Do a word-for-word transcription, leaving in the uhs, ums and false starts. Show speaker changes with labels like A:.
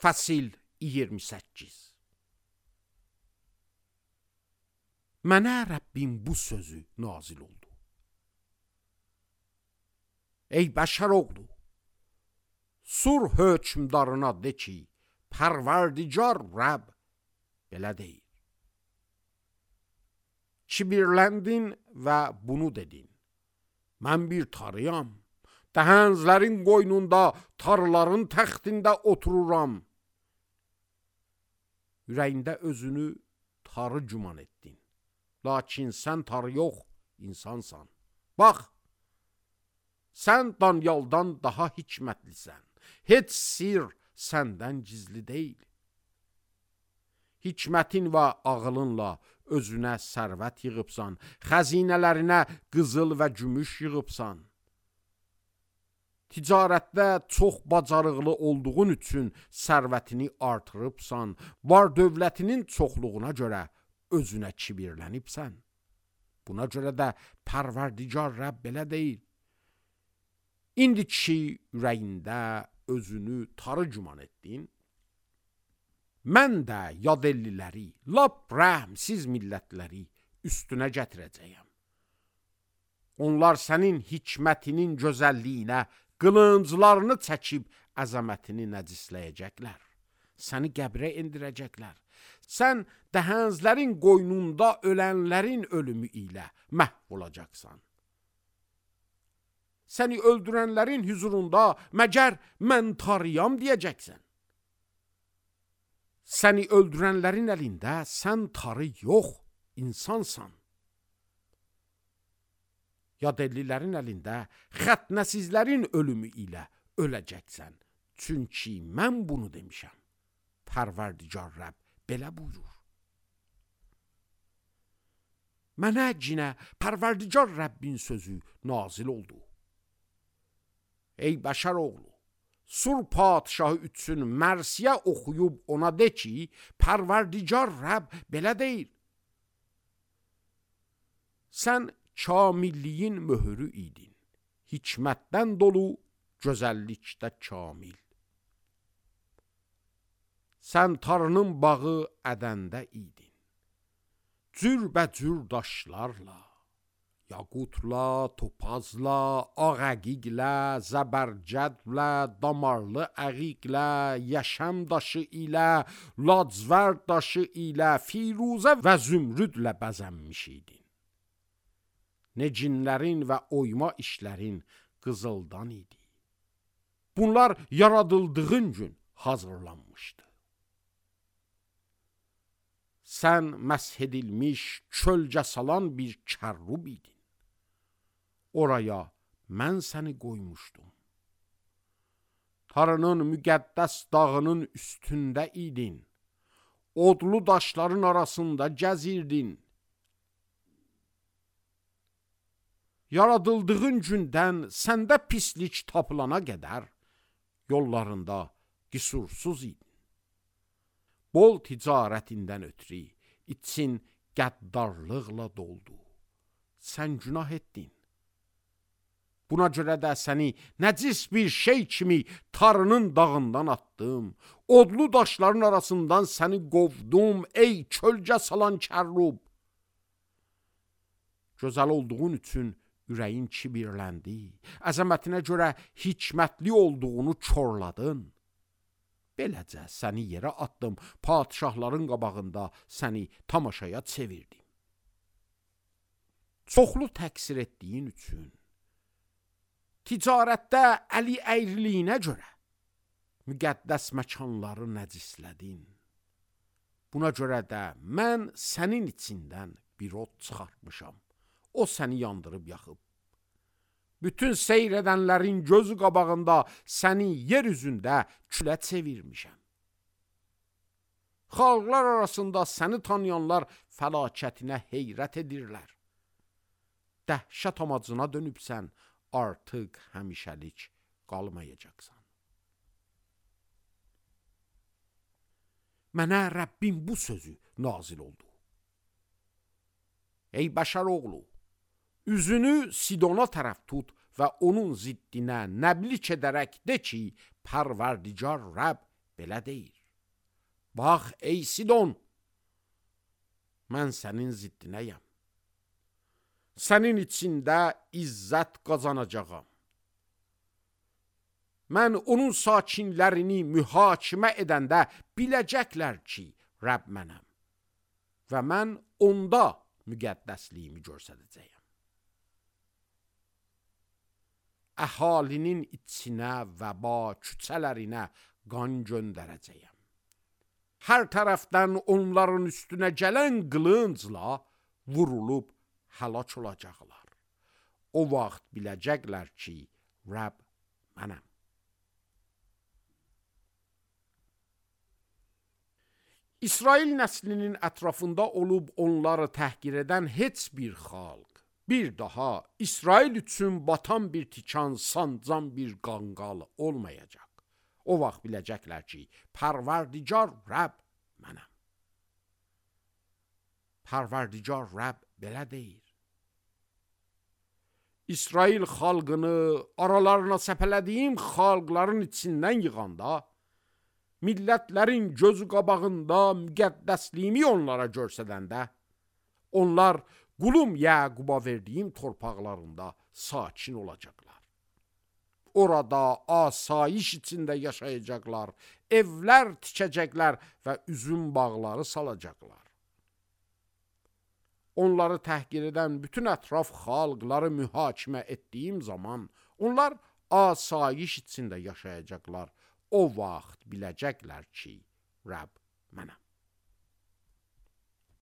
A: Fəsil iyirmi səkkiz. Mənə Rəbbim bu sözü nazil oldu. Ey bəşər oğlu, sur hökmdarına de ki, Pərverdigar Rəbb belə deyir. Kibirləndin və bunu dedin. Mən bir tarıyam, dəhənzlərin qoynunda, tarıların təxtində otururam. Ürəyində özünü tarı güman etdin. Lakin sən tarı yox, insansan. Bax, sən Danyaldan daha hikmətlisən. Heç sir səndən gizli deyil. Hikmətin və ağılınla özünə sərvət yığıbsan, xəzinələrinə qızıl və gümüş yığıbsan. Ticarətdə çox bacarıqlı olduğun üçün sərvətini artırıbsan, var dövlətinin çoxluğuna görə özünə kibirlənibsən. Buna görə də Pərverdigar Rəbb belə deyir. İndi ki ürəyində özünü tarı güman etdin, mən də yadelliləri, lap rəhmsiz millətləri üstünə gətirəcəyəm. Onlar sənin hikmətinin gözəlliyinə qılınclarını çəkib əzəmətini nəcisləyəcəklər. Səni qəbrə endirəcəklər. Sən dəhənzlərin qoynunda ölənlərin ölümü ilə məhv olacaqsan. Səni öldürənlərin hüzurunda məgər mən tarıyam deyəcəksən. Səni öldürənlərin əlində sən tarı yox, insansan. Yadellilərin əlində xətnəsizlərin ölümü ilə öləcəksən. Çünki mən bunu demişəm. Pərverdigar Rəbb belə buyurur. Mənə cinə Pərverdigar Rəbbin sözü nazil oldu. Ey bəşər oğlu, sur padişahı üçün mərsiyə oxuyub ona de ki, Pərverdigar Rəbb belə deyir. Sən kamilliyin möhürü idin, hikmətdən dolu, gözəllikdə kamil. Sən tarının bağı ədəndə idin, cürbəcür daşlarla, yaqutla, topazla, ağəqiqlə, zəbərcədlə, damarlı əqiqlə, yəşəm daşı ilə, lacvər daşı ilə, firuzə və zümrüdlə bəzənmiş idin. Necinlərin və oyma işlərin qızıldan idi. Bunlar yaradıldığın gün hazırlanmışdı. Sən məsh edilmiş, kölgə salan bir kərrub idin. Oraya mən səni qoymuşdum. Tarının müqəddəs dağının üstündə idin. Odlu daşların arasında gəzirdin. Yaradıldığın gündən səndə pislik tapılana qədər yollarında qüsursuz idin. Bol ticarətindən ötürü için qəddarlıqla doldu. Sən günah etdin. Buna görə də səni nəcis bir şey kimi tarının dağından atdım. Odlu daşların arasından səni qovdum, ey kölgə salan kərrub. Gözəl olduğun üçün ürəyin kibirləndi. Əzəmətinə görə hikmətli olduğunu korladın. Beləcə səni yerə atdım, padişahların qabağında səni tamaşaya çevirdim. Çoxlu təqsir etdiyin üçün, ticarətdə əli əyriliyinə görə müqəddəs məkanları nəcislədin. Buna görə də mən sənin içindən bir od çıxartmışam. O səni yandırıb yaxıb. Bütün seyr edənlərin gözü qabağında səni yer üzündə külə çevirmişəm. Xalqlar arasında səni tanıyanlar fəlakətinə heyrət edirlər. Dəhşət amacına dönübsən, artıq həmişəlik qalmayacaqsan. Mənə Rəbbim bu sözü nazil oldu. Ey bəşər oğlu, üzünü Sidona tərəf tut və onun ziddinə nəblik edərək de ki, Pərverdigar Rəbb belə deyir: bax ey Sidon, mən sənin ziddinəyəm. Sənin içində izzət qazanacağam. Mən onun sakinlərini mühakimə edəndə biləcəklər ki, Rəbb mənəm və mən onda müqəddəsliyimi göstərəcəyəm. Əhalinin içinə və ba küçələrinə qan göndərəcəyəm. Hər tərəfdən onların üstünə gələn qılıncla vurulub həlak olacaqlar. O vaxt biləcəklər ki, Rəbb mənəm. İsrail nəslinin ətrafında olub onları təhqir edən heç bir xalq bir daha İsrail üçün batan bir tikan, sancan bir qanqal olmayacaq. O vaxt biləcəklər ki, Pərverdigar Rəbb mənəm. Pərverdigar Rəbb belə deyir: İsrail xalqını aralarına səpələdiyim xalqların içindən yığanda, millətlərin gözü qabağında müqəddəsliyimi onlara göstərəndə, onlar qulum Yaquba verdiyim torpaqlarında sakin olacaqlar. Orada asayiş içində yaşayacaqlar, evlər tikəcəklər və üzüm bağları salacaqlar. Onları təhqir edən bütün ətraf xalqları mühakimə etdiyim zaman, onlar asayiş içində yaşayacaqlar. O vaxt biləcəklər ki, Rəbb mənəm.